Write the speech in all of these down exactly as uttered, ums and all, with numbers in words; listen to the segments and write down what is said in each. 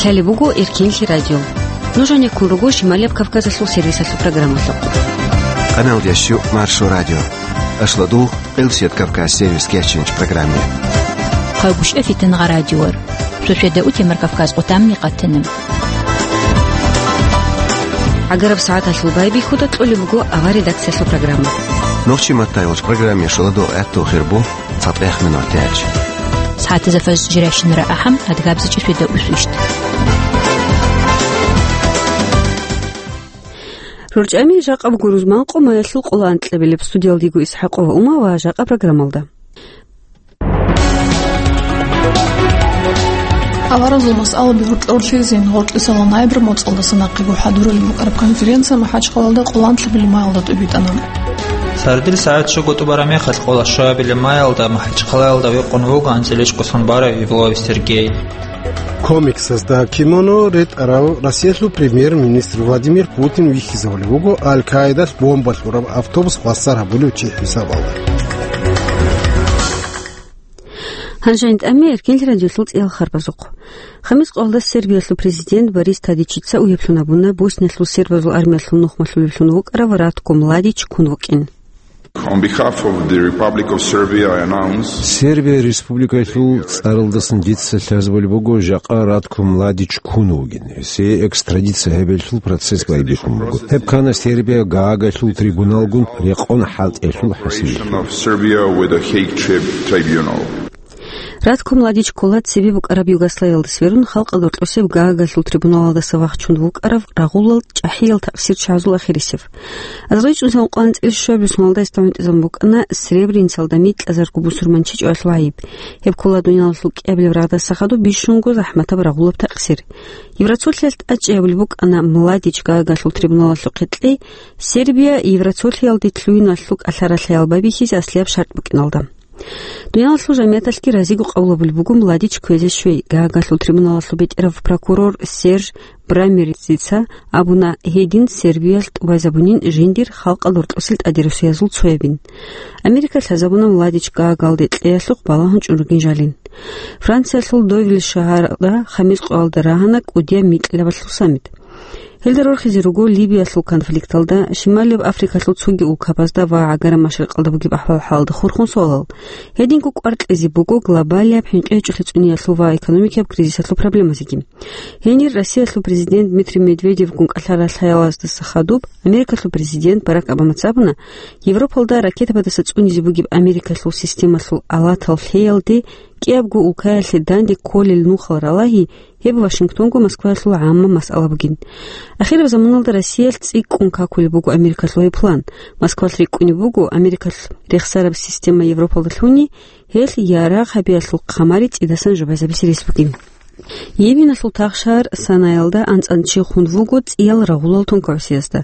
Лъалеб буго Эркенлъи радио. Нуж гьанеккун руго Шималияб Кавказалъул сервисалъул программалъухъ. Канал дящу Маршо радио. Ашладу Къилсият Кавказ сервис кечинч программе. Хъагушев Фитангъа радиор. Шошеда утемар Кавказ къутамни къатанам. Агараб сагӀаталъул байбихьуда кьолеб буго авар редакциялъул программа. Нохчи маттайвалч программе шаладу гӀатту хирбу. ЦатӀех минутач. СагӀатазда фажр жирашинара ахӀам, адгабзичӀи шведа усвищ. РорчӀами жакъа буго рузман къо маялъул къоло анкьабилеб. Студиялдего ИсхӀакъова Ума ва жакъа программалда. Аваразул масъалаби гьоркьорлъизин гьоркьисала найбра моцӀалдаса нахъего хӀадуралин букӀараб конференция МахӀачхъалалда къоло анлъабилеб маялда тӀубитӀана. Сардил сагӀат щуго тӀубараб мехалъ къоло щуабилеб маялда МахӀачхъалаялда векъун вуго анцӀила ишкъусан барав Евлоев Сергей. Комиксазда киноно ретӀарав Россиялъул премьер-министр Владимир Путин вихьизавулев вуго Аль-Каидалъ бомба лъураб автобус хвасар гьабулев чи хӀисабалда. Гьанже гьанитӀаме Эркенлъи радиолъул цӀиял харбазухъ. Хамис къоялда Сербиялъул президент Борис Тадичица угьиблъун абуна Босниялъул сербазул армиялъул нухмалъулевлъун вукӀарав Ратко Младич ккун вукӀин. On behalf of the Republic of Serbia, I announce Сербия Республикалъул цӀаралдасан дица лъазабулеб буго жакъа Ратко Младич ккун вугин. Гьесие экстрадиция гьабиялъул процесс байбихьун буго. Гьеб ккана Сербия Гаагалъул трибуналгун рекъон хӀалтӀиялъул хӀасил. Of Serbia with the Hague Tri-, Tribunal. Ратко Младич ккола цебе букӀараб Югославиялда сверун халкъалда рокьосеб Гаагалъул трибуналалдаса вахчун вукӀарав рагъулал чӀахӀиял такъсирчагӀазул ахирисев. АзарилчӀун цӀакъ анцӀила щуабилеб соналда гьесда гӀунтӀизабун букӀана Сребреницалда микьазарго бусурманчи чӀваялъул гӀайиб. Гьеб ккола дуниялалъул кӀиабилеб рагъдаса хадуб бищунго захӀматаб рагъулаб такъсир. Евроцолъиялъ тӀадчӀей гьабулеб букӀана Младич Гаагалъул трибуналалъухъе кьей, Сербия Евроцолъиялде лъугьиналъул кӀалъаралъаял байбихьизе аслияб шартӀ букӀиналда. Дуниялалъул жамияталъги разиго къабул гьабулеб буго Младич кквезе щвей. Гаагалъул трибуналалъул бетӀерав прокурор Серж Брамерицаца абуна, гьедин Сербиялъ тӀубазабунин жиндир халкъалда рокьосел тӀадирасуязул цоябин. Америка лъазабуна Младич Гаагалде кьеялъухъ балагьун чӀун ругин жалин. Франциялъул Довиль шагьаралда хамис къоялда рагьана кӀудияб микьилабалъул саммит. Гьелда рорхизе руго Либиялъул конфликталда, Шималияб Африкалъул цоги улкабазда ва ГӀагараб Машрикъалда бугеб ахӀвал-хӀалалда хурхун суалал. Гьединго кӀвар кьезе буго глобалияб хӀинкъи-гьечӀолъи цӀуниялъул ва экономикияб кризисалъул проблемазеги. Гьенир Россиялъул президент Дмитрий Медведевгун кӀалъаралъаялаздаса хадуб, Америкалъул президент Барак Обамаца абуна, Европалда ракетабаздаса цӀунизе бугеб Америкалъул системалъул алатал лъеялде кӀиябго улкаялъе данде кколел нухал ралагьи, гьеб Вашингтонго Москваялъул гӀамма масъала бугин. Ахираб заманалда Россиялъ цӀикӀкӀун какулеб буго Америкалъул гьеб план. Москвалъ рикӀкӀунеб буго, Америкалъ рехсараб система Европалда лъуни, гьелъ ярагъ гьабиялъул хъамари цӀидасан жубазабизе рес бугин. Йеменалъул тахшагьар Санаялда анцӀан чи хун вуго цӀиял рагъулал тункаусиязда.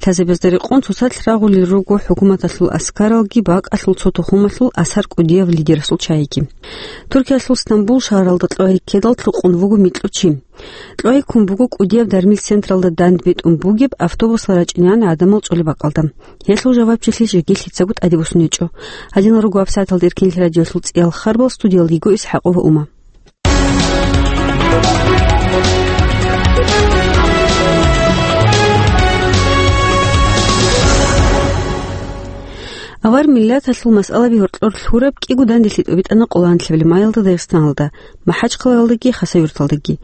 Лъазабазда рекъон цоцалъ рагъулел руго хӀукуматалъул аскаралги бакӀалъул цо тухумалъул асар кӀудияв лидерасул чагӀиги. Туркиялъул Стамбул шагьаралда кьвай ккедал лъукъун вуго микьучи. Кьвай ккун буго кӀудияб дармил централда дандбетӀун бугеб автобусал рачӀинегӀан гӀадамал цӀолеб бакӀалда. Гьелъул жавабчилъи жеги лъицаго тӀаде босун гьечӀо. Гьадинал руго абсаталда Эркенлъи радиолъул цӀиял харбал, студиялдего ИсхӀакъова Ума. Авар миллаталъул масъалаби гьоркьор лъураб кӀиго данделъи тӀубитӀана къоло анлъабилеб маялда Дагъистаналда, МахӀачхъалаялдаги Хасавюрталдаги.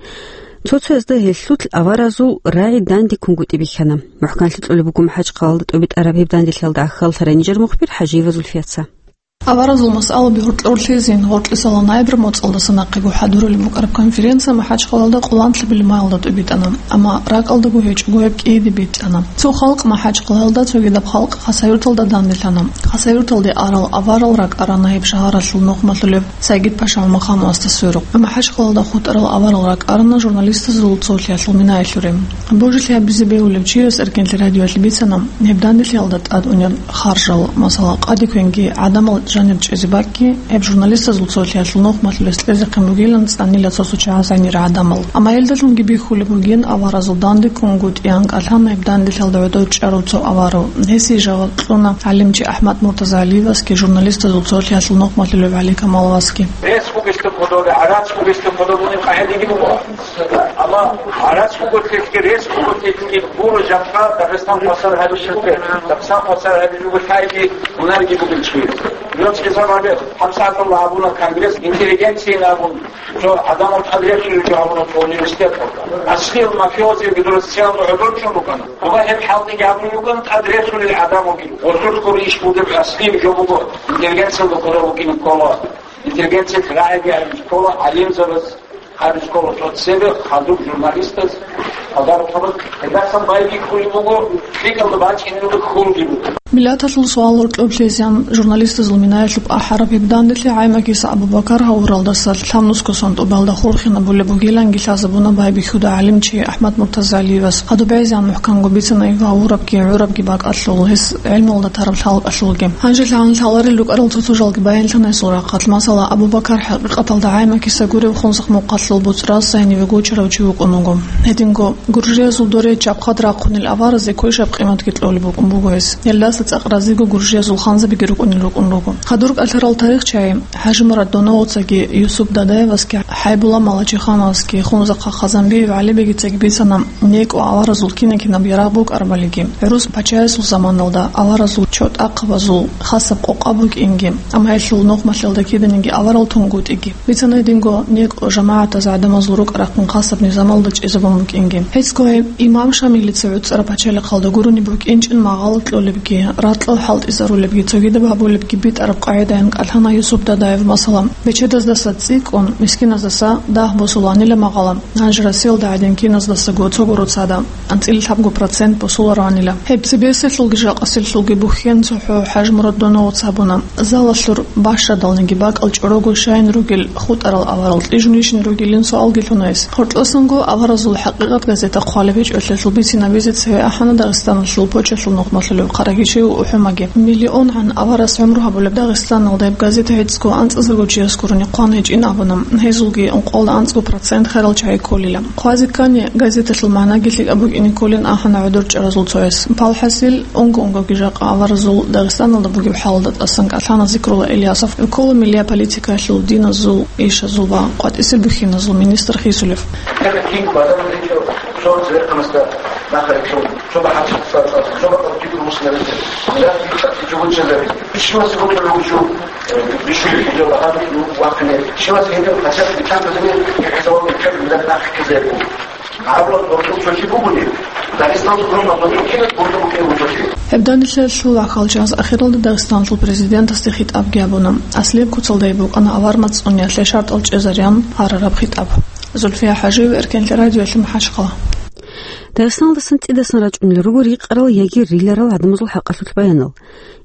Цо-цоязда гьелъул аваразул рагӀи данде ккунгутӀи бихьана. МухӀканлъи кьолеб буго МахӀачхъалаялда тӀубитӀараб гьеб данделъиялда гӀахьаллъарай нижер мухбир ХӀажиева Зульфияца. Аваразул масъалаби гьоркьорлъизин гьоркьисала найбра моцӀалдаса нахъего хӀадуралин букӀараб конференция МахӀачхъалаялда къоло анлъабилеб маялда тӀубитӀана, амма ракӀалдаго гьечӀого гьеб кӀиде битӀана. Цо халкъ МахӀачхъалаялда, цогидаб халкъ Хасавюрталда данделъана. Хасавюрталде арал аварал ракӀарана гьеб шагьаралъул нухмалъулев Сайгид-Паша Мамахановасда сверухъ. МахӀачхъалаялда хутӀарал аварал ракӀарана журналистазул цолъиялъул минаялъуре. Божилъи гьабизе бегьулев чияс Эркенлъи радиоялъе бицана гьеб данделъиялда тӀад унеб харжал, масала, къаде квенги гӀадамал Жанир чӀезе бакӀги, гьеб журналистазул цолъиялъул нухмалъулес кьезехъин бугилан цӀанила цо-цо чагӀаз гӀемер гӀадамал. Амма гьелдалъунги бихьулеб бугин аваразул данде ккунгутӀи анкӀалъана гьеб данделъалда гӀодов чӀарав цо аварав. Гьесие жаваб кьуна гӀалимчи АхӀмад Муртазалиевасги журналистазул цолъиялъул нухмалъулев ГӀали Камаловасги. Рес бугелъул кодобе, гӀарац бугелъул кодобе унеб къагӀидаги буго. Амма гӀарац буготлъилъги, рес буготлъилъги гуро жакъа Дагъистан хвасар гьабичӀеб, Дагъистан хвасар гьабичӀого лъайги гьунарги бугел чи. Нуц иза гьабе, гьабсагӀаталда абуна конгресс интеллигенциин абун, цо гӀадамал тӀадрехулел жо абуна цо университеталда. Аслил мафиози гидро социалда гӀодорчӀун рукӀана. Дуба гьеб хӀалтӀиги абун руган тӀадрехулел гӀадамалги. Гъосулъго иш бугеб аслил жо буго, интеллигенциялда кодоб букӀине ккола. Интеллигенциялъ рагӀиги гьариб ккола, гӀалимзабаз гьариб ккола, цо цебе хадуб журналистаз, хабар хабар, гьелдасан байбихьулеб буго, лъикӀалда бачӀине буго, хьулги буго. Миллаталъул суал гьоркьоб лъезегӀан журналистазул минаялъуб ахӀараб гьеб данделъи ГӀаймакиса Абу-Бакар гьавуралдаса лъабнусго сон тӀубалда хурхинабулеб бугиланги лъазабуна байбихьуда гӀалимчи АхӀмад Муртазалиевас. Гьадуб гӀезегӀан мухӀканго бицана гьев гьавурабги гӀурабги бакӀалъул, гьес гӀелмуялда тараб лъалкӀалъулги. Гьанже лъан лъаларел рукӀарал цо-цо жалги баянлъана гьесул рахъалъ. Масала, Абу-Бакар хӀакъикъаталда ГӀаймакиса гурев хунсахъ-мукъалъул буцӀраз сайниве гучарав чи вукӀун вуго. Гьединго гуржиязул доре чабхъад рахъунел аваразе квешаб къиматги кьолеб букӀун буго гьес. Гьелдаса цӀакъ разиго гуржиязул ханзабиги рукӀунел рукӀун руго. Хадур кӀалъарал тарихчагӀи ХӀажимурад Доновцаги Юсуп Дадаевасги ХӀайбулла Малачихановасги Хунзахъа Хазанбиев ГӀалибегицаги бицана некӀо аваразул кина-кинаб ярагъ букӀарабалиги, гӀурус пачаясул заманалда аваразул чотӀахъабазул хасаб къокъа букӀинги, амма гьелъул нухмалъиялда киданиги аварал тунгутӀиги. Бицана гьединго некӀо жамагӀатаз гӀадамазул рукӀа-рахъин хасаб низамалда чӀезабун букӀинги. ГьецӀго гьеб имам Шамилица гӀуцӀараб пачалихъалда гурони букӀинчӀин магъала кьолебги, ракьал хӀалтӀизарулебги, цогидаб гьабулебги битӀараб къагӀидаялъ кӀалъана Юсуп Дадаев, масала, бечедаздаса цӀикӀкӀун, мискиназдаса дагь босуланила магъала, гьанже Россиялда гӀадин киназдасаго цого роцада анцӀила лъабго процент босулароанила. Гьеб цебесиялъулги жакъасиялъулги бухьен цохӀо ХӀажимурад Доновца абуна. Залалъур бащадалниги бакӀал чӀорого щайин ругел хутӀарал аварал кьижунищин ругилин суалги лъуна гьес. Гьоркьосанго аваразул ХӀакъикъат газета хъвалеб гьечӀолъиялъул бицинабизе цеве ахӀана Дагъистаналъул почталъул нухмалъулев Хъарагишев ГӀухӀумаги. МиллионгӀан аварас гӀумру гьабулеб Дагъистаналда гьеб газета гьецӀго анцӀазарго чияс гурони хъван гьечӀин абуна. Гьезулги ункъоялда анцӀго процент херал чагӀи кколила. Хъвазе ккани, газеталъул магӀнаги лъикӀаб букӀине кколин ахӀана гӀодор чӀаразул цояс. ПалхӀасил, унго-унгоги жакъа аваразул Дагъистаналда бугеб хӀалалда тӀасан кӀалъана Зикрулла Ильясов, ккола миллия политикаялъул, диназул ишазул ва къватӀисел бухьиназул министр хисулев. Шоба хӀачи цацӀа, шоба къабги русла ритер. Милат дихъа чӀужу чӀезари. Щивас гьуцӀулев вугев, э, бищун гьитӀинчӀо багьанив вахъине. Щивас гьедин хӀачи битӀан базине, гьезавал битӀан милат нахъ ккезари. ГӀарабла гьоркьоб цохӀи бугони, Дагъистаналда гьоркьоб гьоркьоб кинаб гьоркьоб букӀине вугони. Гьеб данделъиялъул вахъал чанс ахиралда Дагъистаналъул президентасде хитӀабги гьабуна. Аслияб куцалда гьеб букӀана авар мацӀцӀунеялъе шартӀал чӀезариан гьарараб хитӀаб. Зульфия ХӀажиева, Эркенлъи радиоялъ, МахӀачхъала. Дагъистаналдасан цӀидасан рачӀунел руго рикъарал яги риларал гӀадамазул хӀакъалъулъ баянал.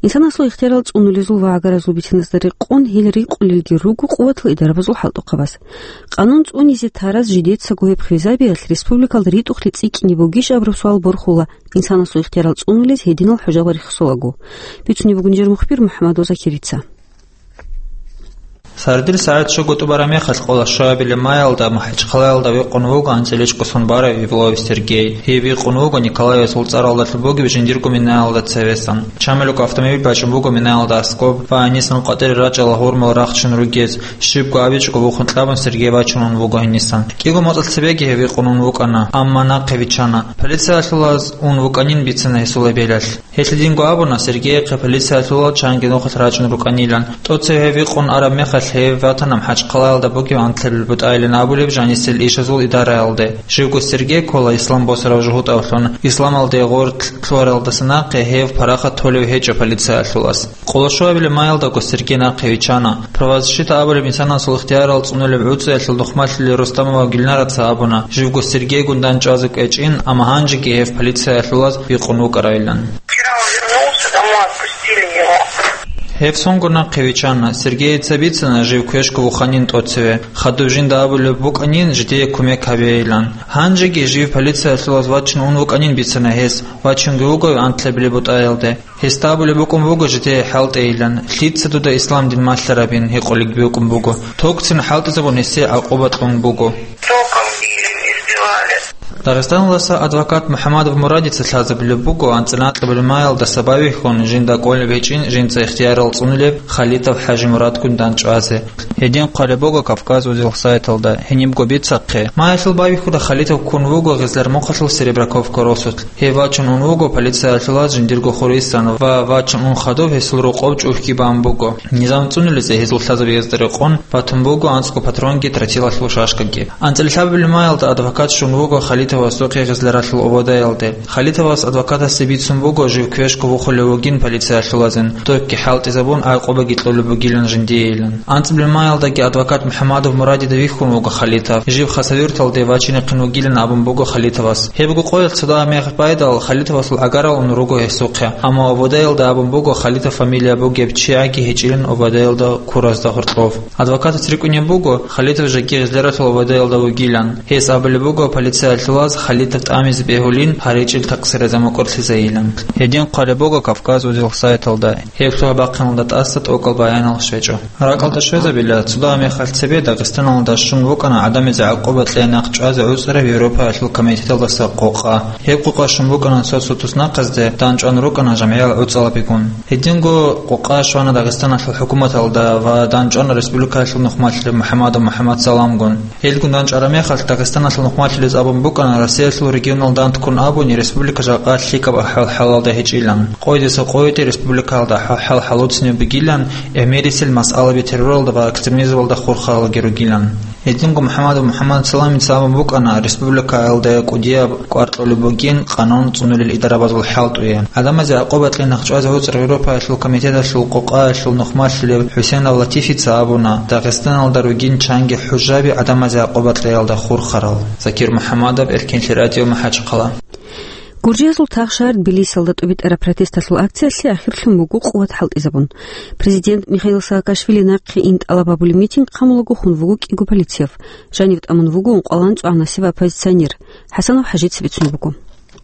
Инсанасул ихтиярал цӀунулезул ва гӀагаразул бициназда рекъон гьел рикъулелги руго къуватал идарабазул хӀалтӀухъабаз. Къанун цӀунизе тараз жидецаго гьеб хвезабиялъ республикалда ритӀухълъи цӀикӀкӀине бугищ абураб суал борхула инсанасул ихтиярал цӀунулез гьединал хӀужалар рехсолаго. Бицунеб буго нижер мухбир МухӀамадов Закирица. Сардил сагӀат щого тӀубараб мехалъ, къоло щуабилеб майалда МахӀачхъалаялда вихъун вуго анцӀила чӀухӀун барав Ивлоев Сергей. Гьев вихъун вуго Николаевасул цӀаралдалъун бугеб жиндирго минаялда цевесан. Чамилго автомобиль бачӀун буго минаялда аскӀоб ва гьенисан къватӀире рачӀарал гьурмал рахчун ругез. Щибго абичӀого вухун кьабун Сергей бачунун вуго гьенисан. КӀиго моцӀалъ цебеги гьев вихъун ун вукӀана, амма нахъе виччана. Полициялъулаз ун вукӀанин бицина гьесул эбелалъ. Гьелъ динго абуна Сергейихъе полициялъулал чанги нухалъ рачӀун рукӀанилан. ТӀоцев гьев вихъун араб мехалъ гьев ватана МахӀачхъалаялда бугеб анкьабилеб бутӀайилан абулеб жанисел ишазул идараялде. Живго Сергей ккола ислам босарав жугьутӀавлъун. Исламалде гъоркь лъугьаралдаса нахъе гьев парахат толев гьечӀо полициялъулас. Къоло щуабилеб майалдаго Сергей нахъе виччана. Правозащита абулеб инсанасул ихтиярал цӀунулеб гӀуцӀиялъул нухмалъулел Рустамова Гюльнараца абуна, живго Сергейгун дандчӀвазе кӀвечӀин, амма гьанжеги гьев полициялъулаз вихъун вукӀарайилан. Вчера он вернулся домой, отпустили его. Гьеб сонго нахъе виччана. Сергеица бицана жив квешго вуханин тӀоцеве, хадуб жинда абулеб букӀанин жидее кумек гьабейилан. Гьанжеги жив полициялъулаз вачин ун вукӀанин бицана гьес, вачунги вуго антлъабилеб бутӀаялде. Гьесда абулеб букӀун буго жидее хӀалтӀейилан, лъица дуда ислам дин малъарабин гьикъулеб букӀун буго. Токцин хӀалтӀизабун гьесие гӀакъуба кьун буго. Током били, избивали. Дагъистаналдаса адвокат МухӀамадов Мурадица лъазабулеб буго анцӀила анкьабилеб маялдаса бавихьун жинда кӀолеб гьечӀин жинца ихтиярал цӀунулеб Халитов ХӀажимурадгун дандчӀвазе. Гьедин хъвалеб буго Кавказ Узел сайталда, гьенибго бицахъе. Маялъул бавихьуда Халитов ккун вуго Гъезлармухъалъул Серебряковка росулъ. Гьев вачун ун вуго полициялъулаз жиндирго хурисан ва вачун ун хадуб гьесул рокъов чӀухӀги бан буго. Низам цӀунулезе гьезул лъазабиязда рекъон батун буго анцӀго патронги тротилалъул шашкаги. АнцӀила лъабабилеб маялда адвокат щун вуго Халитовасухъе Гъезларалъул ободаялде. Халитовас адвокатасе бицун буго жив квешго вухулев вугин полициялъулазин, токги хӀалтӀизабун гӀакъубаги кьолеб бугилан жиндиейилан. АнцӀабилеб маялдаги адвокат МухӀамадов Мурадида вихьун вуго Халитов. Жив Хасавюрталде вачинехъин вугилан абун буго Халитовас. Гьебго къоялъ цо дагьа мехалъ байдал Халитовасул гӀагарал ун руго гьесухъе, амма ободаялда абун буго Халитов фамилия бугеб чияги гьечӀилан ободаялда ккуразда гьоркьов. Адвокатас рикӀкӀунеб буго, Халитов жеги Гъезларалъул ободаялда вугилан. Гьес абулеб буго полициялъулаз Халитов тӀамизе бегьулин, гьаричӀил такъсиразда мукӀурлъизейилан. Гьедин хъвалеб буго Кавказ Узел сайталда. Гьеб лъугьа бахъиналда тӀаса тӀокӀал баянал щвечӀо. РакӀалда щвезабила, цо дагьа мехалъ цебе Дагъистаналда щун вукӀана гӀадамазе гӀакъуба кьей нахъ чӀвазе гӀуцӀараб Европаялъул комитеталдаса къокъа. Гьеб къокъа щун букӀана цо-цо туснахъазде, дандчӀван рукӀана жамгӀиял гӀуцӀалабигун. Гьединго къокъа щвана Дагъистаналъул хӀукуматалда ва дандчӀвана республикаялъул нухмалъулев МухӀамадов МухӀамадсаламгун. Гьелгун дандчӀвараб мехалъ Дагъистаналъул нухмалъулез абун букӀана Россиялъул регионал данде ккун абуни республика жакъа лъикӀаб ахӀвал-хӀалалда гьечӀилан. Къойдаса къойде республикаялда ахӀвал-хӀал гьалуцинаб бугилан, гӀемерисел масъалаби терроралда ва экстремизмалда хурхаралги ругилан. Гьединго МухӀамадов МухӀамадсаламица абун букӀана республикаялда кӀудияб кӀвар кьолеб бугин къанун цӀунулел идарабазул хӀалтӀуе. ГӀадамазе гӀакъуба кьей нахъ чӀвазе гӀуцӀараб Европаялъул комитеталъул къокъаялъул нухмалъулев ХӀусейнов Латифица абуна, Дагъистаналда ругин чанги хӀужаби гӀадамазе гӀакъуба кьеялда хурхарал. Закир МухӀамадов, Эркенлъи радио, МахӀачхъала. Гуржиязул тагъ шагьар Тбилисиялда тӀубитӀараб протесталъул акциялъе ахирлъун буго къуват хӀалтӀизабун. Президент Михаил Саакашвили нахъе ин тӀалаб гьабулеб митинг хъамулаго хун вуго кӀиго полицияв. Жанив тӀамун вуго ункъоялда анцӀгоялда насиб оппозиционер. ХӀасанов ХӀажица бицун буго.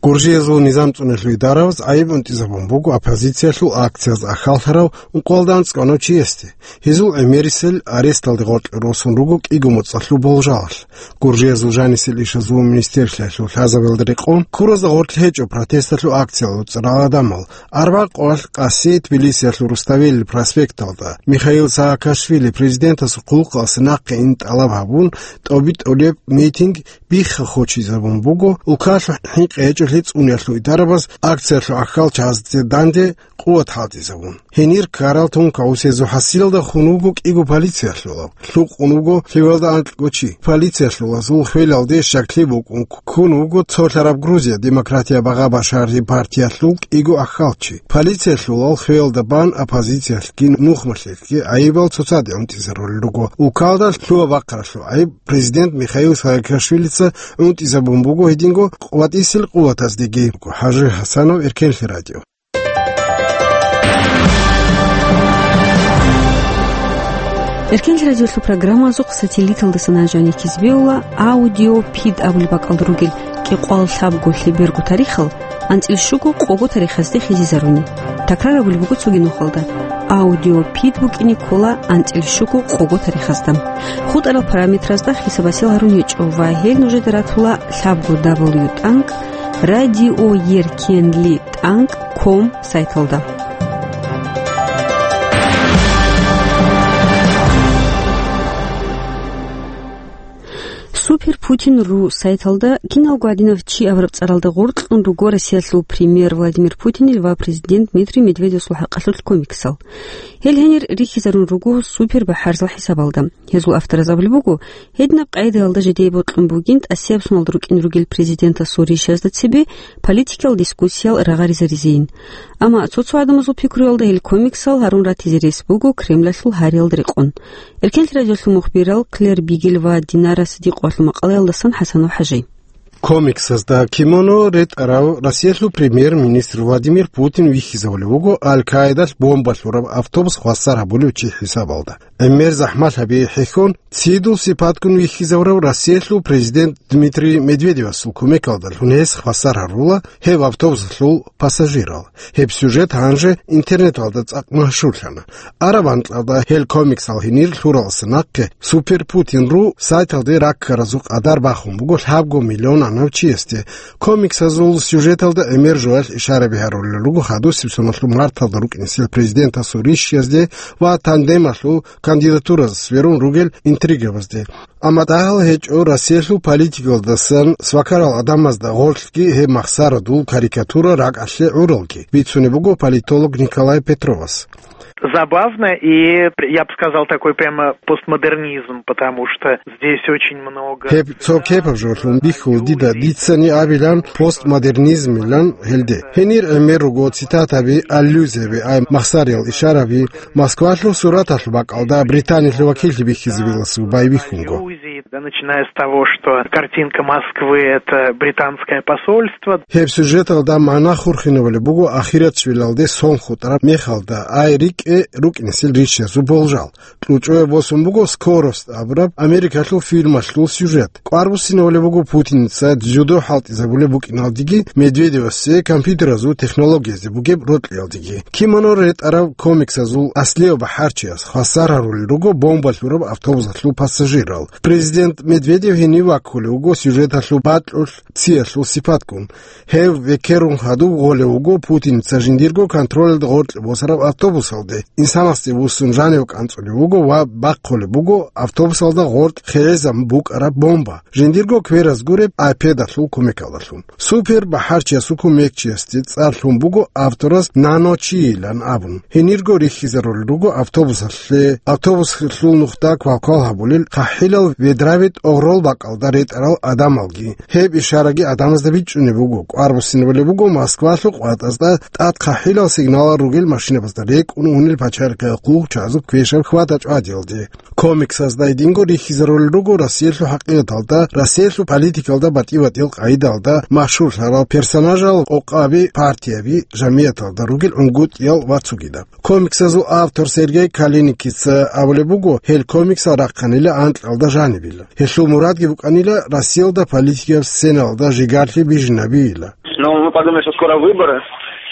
Гуржиязул низам цӀунулъул идараваз гӀайиб унтӀизабун буго оппозициялъул акциялда ахӀаллъарав ункъоялда анцӀгоялда чиясде. Гьезул гӀемерисел аресталде гъоркье росун руго кӀиго моцӀалъул болжалалъ. Гуржиязул жанисел ишазул министерствоялъул лъазабиялда рекъон, ккуразда гъорлъ гьечӀо протесталъул акциялда цӀарал гӀадамал. Арбагъ къоялъ къаси Тбилисиялъул Руставели проспекталда Михаил Саакашвили президентасул хъулухъалъе нахъе ин тӀалаб гьабун тӀубитӀулеб митинг бихха-хочизабун буго улкалъул хӀинкъи гьечӀолъи цӀуниялъул идарабаз акциялъул ахӀалчазде данде къуват хӀалтӀизабун. Гьенир ккарал тункаусезул хӀасилалда хун вуго кӀиго полициялъулав, лъукъун вуго лъивалда анкьго чи. Полициялъулазул хвелалде щаклъи букӀун ккун вуго цолъараб Грузия демократия багъа башараб партиялъул кӀиго ахӀалчи. Полициялъулал хвелалда бан оппозициялъги нухмалъулъги гӀайибал цоцазде унтӀизарулел руго. Улкалда лъугьа-бахъаралъул гӀайиб президент Михаил Саакашвилица унтӀизабун буго гьединго къватӀисел къуваздеги. ХӀажи ХӀасанов, Эркенлъи радио. Эркенлъи радиолъул программазухъ сателлиталдаса нажани кизбеула аудиопид абулеб бакӀалда ругел кӀикъоялда лъабго лъеберго тарихал анцӀила щуго къого тарихазде хизизаруни. Такрар абулеб буго цоги нухалда: аудиопид букӀине ккола анцӀила щуго къого тарихазда. ХутӀарал параметразда хисаб-гьасил гьарун гьечӀо ва гьел нужеда ратула лъабго дабл ю тӀанкӀ радиоеркенли тӀанкӀ ком сайталда. Супер Путин ру сайталда киналго гьадинав чи абураб цӀаралда гъоркьун руго Россиялъул премьер Владимир Путинил ва президент Дмитрий Медведевасул хӀакъалъулъ комиксал. Гьел гьенир рихьизарун руго супер бахӀарзал хӀисабалда. Гьезул автораз абулеб буго, гьединаб къагӀидаялда жидее бокьун бугин тӀасияб соналда рукӀин ругел президентасул ришазда цебе политикал дискуссиял рагъаризаризейин. Амма цо-цо гӀадамазул пикруялда гьел комиксал гьарун ратизе рес буго Кремлалъул гьариялда рекъон. Эркенлъи радиолъул мухбирал Клэр Бигель ва Динара Сидикъовалъул макъалаялдасан ХӀасанов ХӀажи. Комиксазда Кимоно ретӀарав Россиялъул премьер-министр Владимир Путин вихьизавулев вуго Аль-Каидалъ бомба лъураб автобус хвасар гьабулев чи хӀисабалда. ГӀемер захӀмалъаби хӀехьон, цидул сипатгун вихьизавурав Россиялъул президент Дмитрий Медведевасул кумекалдалъун гьес хвасар гьарула гьеб автобусалъул пассажирал. Гьеб сюжет гьанже интернеталда цӀакъ машгьурлъана. Араб анкьалда гьел комиксал гьенир лъуралдаса нахъе Супер Путин ру сайталде раккаразул къадар бахун буго лъабго миллион гьанав чиясде. Комиксазул сюжеталда гӀемер жоялъ ишараби гьарулел руго хадусеб соналъул марталда рукӀинесел президентасул рищиязде ва тандемалъул кандидатуразда сверун ругел интригабазде. Амма дагьал гьечӀо Россиялъул политикалдасан свакарал гӀадамазда гъорлъги гьеб махсарадул карикатура ракӀалъе гӀуралги, бицунеб буго политолог Николай Петровас. Забавно и, я бы сказал, такой прямо постмодернизм, потому что здесь очень много... Гьеб цо кепаб жолъун бихьул дида, дицани абилан постмодернизмилан гьелде. Гьенир гӀемер руго цитатаби, аллюзияби, ай махсариял ишараби, Москвалъул сураталъул бакӀалда Британиялъул вакиллъи бихьизабиласул байбихьунго. Да, начиная с того, что картинка Москвы — это британское посольство. Гьеб сюжеталда магӀна хурхинабулеб буго ахирачвилалде сон хутӀараб мехалда, ай рикӀкӀе рукӀинесел рищиязул болжал. КьучӀое босун буго Скорость абураб Америкалъул фильмалъул сюжет. КӀвар буссинабулеб буго Путиница дзюдо хӀалтӀизабулеб букӀиналдеги, Медведевасе компьютеразул технологиязе бугеб рокьиялдеги. Кимоно ретӀарав комиксазул аслияв бахӀарчияс хвасар гьарулел руго бомба лъураб автобусалъул пассажирал. Президент Медведев гьенив ваккулев вуго сюжеталъул бакьулъ циялъул сипатгун. Гьев векерун хадуб гъолев вуго Путиница жиндирго контролалда гъоркье босараб автобусалде. Инсанасде вуссун жанив кӀанцӀулев вуго ва бахъулеб буго автобусалда гъоркь хигӀизабун букӀараб бомба. Жиндирго квераз гуреб айпедалъул кумекалдалъун. Супер бахӀарчиясул кумекчиясде цӀар лъун буго авторас Наночийилан абун. Гьенирго рихьизарулел руго автобусалъе, автобусалъул нухда квалквал гьабулел хъахӀилал ведравит огърол бакӀалда ретӀарал адамалги. Гьеб ишараги адамазда бичӀчӀунеб буго. КӀвар буссинабулеб буго Москвалъул къватӀазда тӀад хъахӀилал сигналал ругел машинабазда рекӀун унел пачалихъе хъугь чагӀазул квешаб хьвада-чӀвадиялде. Комиксазда гьединго рихьизарулел руго Россиялъул хӀакъикъаталда, Россиялъул политикалда батӀи-батӀиял къагӀидалда машгьурлъарал персонажал, къокъаби, партияби, жамияталда ругел гӀунгутӀиял ва цогидаб. Комиксазул автор Сергей Калиникица абулеб буго, гьел комиксал рахъанила анкьалда жанибила. Гьелъул мурадги букӀанила Россиялда политикияб сценалда жигарлъи бижинабийила. Ну, мы подумали, что скоро выборы,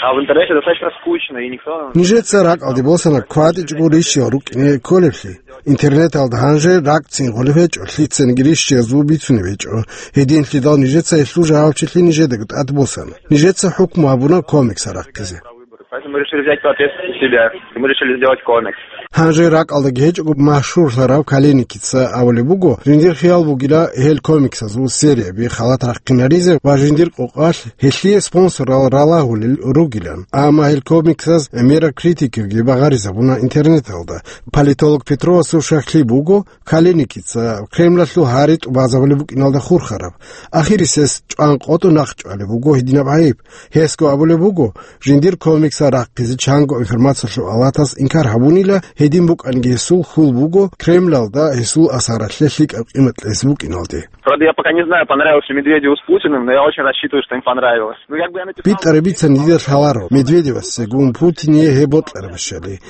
а в интернете достаточно скучно, и никто... Нижеца ракӀалде босана кватӀичӀого рищиял рукӀине кколеблъи. Интернеталда гьанже ракӀцин гъолеб гьечӀо, лъицаниги рищиязул бицунеб гьечӀо. Гьединлъидал нижеца гьелъул жавабчилъи нижедаго тӀад босана. Нижеца хӀукму гьабуна комикс рахъизе. Поэтому мы решили взять ответственность на себя. Мы решили сделать комикс. Гьанже ракӀалдаги гьечӀого машгьурлъарав Калиникица абулеб буго, жиндир хиял бугила гьел комиксазул серияби халат рахъинаризе ва жиндир къокъалъ гьелъие спонсорал ралагьулел ругилан. Амма гьел комиксаз гӀемерал критикаги багъаризабуна интернеталда. Политолог Петровасул щаклъи буго, Калиникица Кремлалъул гьари тӀубазабулеб букӀиналда хурхараб. Ахирис гьес чӀван къотӀун нахъчӀвалеб буго гьединаб гӀайиб. Гьесго абулеб буго, жиндир комиксал рахъизе чанго информациялъул алатас инкар гьабунила, гьедин букӀаниги гьесул хьул буго Кремлалда гьесул асаралъе лъикӀаб къимат кьезе букӀиналде. Правда, я пока не знаю, понравилось ли Медведеву с Путиным, но я очень рассчитываю, что им понравилось. Ну, как бы я написал... БитӀараб бицан дида лъаларо, Медведевасегун Путине гьеб бокьарабищали.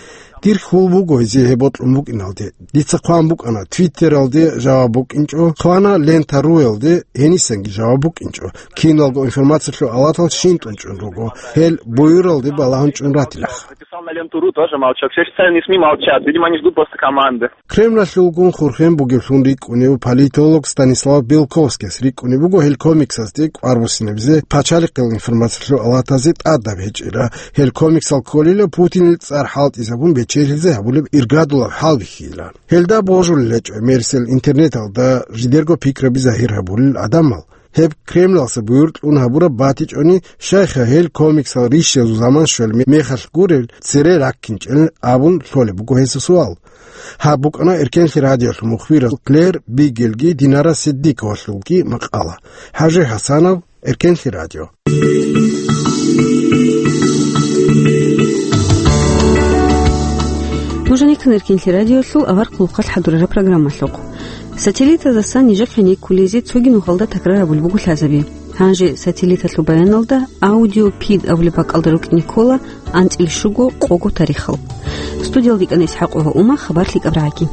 Дир хьул буго гьезие гьеб бокьун букӀиналде. Дица хъван букӀана, Твиттералде жаваб букӀинчӀо, хъвана Лента руялде, гьенисанги жаваб букӀинчӀо. Киналго информациялъул алатал щинтӀун чӀун руго. Гьел буюралде балагьун чӀун ратилаха. Написал на Ленту ру, тоже молчок. Все официальные СМИ молчат. Видимо, они ждут просто команды. Кремлалъулгун хурхен бугевлъун рикӀкӀунев политолог Станислав Белковскияс рикӀкӀунеб буго гьел комиксазде кӀвар буссинабизе пачалихъил информациялъул алатазе тӀадаб гьечӀила. Гьел комиксал кколила Путинил цӀар хӀалтӀизабун бечелъизе гьабулеб иргадулаб хӀалбихьилан. Гьелда божулел гьечӀо мерсел интернеталда жидерго пикраби загьир гьабулел гӀадамал. Гьеб Кремлалъа буюр кьун гьабураб батичӀони, щайха гьел комиксал рищиязул заман щвел ме-, мехалъ гурел цере раккинчӀел абун лъолеб буго гьесул суал. Гьаб букӀана Эркенлъи радиолъул мухбирал Клэр Бигелги Динара Сиддиковалъулги макъала. ХӀажи ХӀасанов, Эркенлъи радио. Нужеца кканани кинлъи радиолъул авар хъулухъалъ хӀадурараб программалъухъ. Сателлитаздасан нижехъе никкулезе цоги нухалда такрар гьабулеб буго лъазаби. Гьанже сателлиталъул баяналда аудиопид абулеб бакӀалда рукӀине ккола анцӀила щуго къого тарихал. Студиялда ккани ИсхӀакъ ва Ума, хабар лъикӀаб рагӀаги.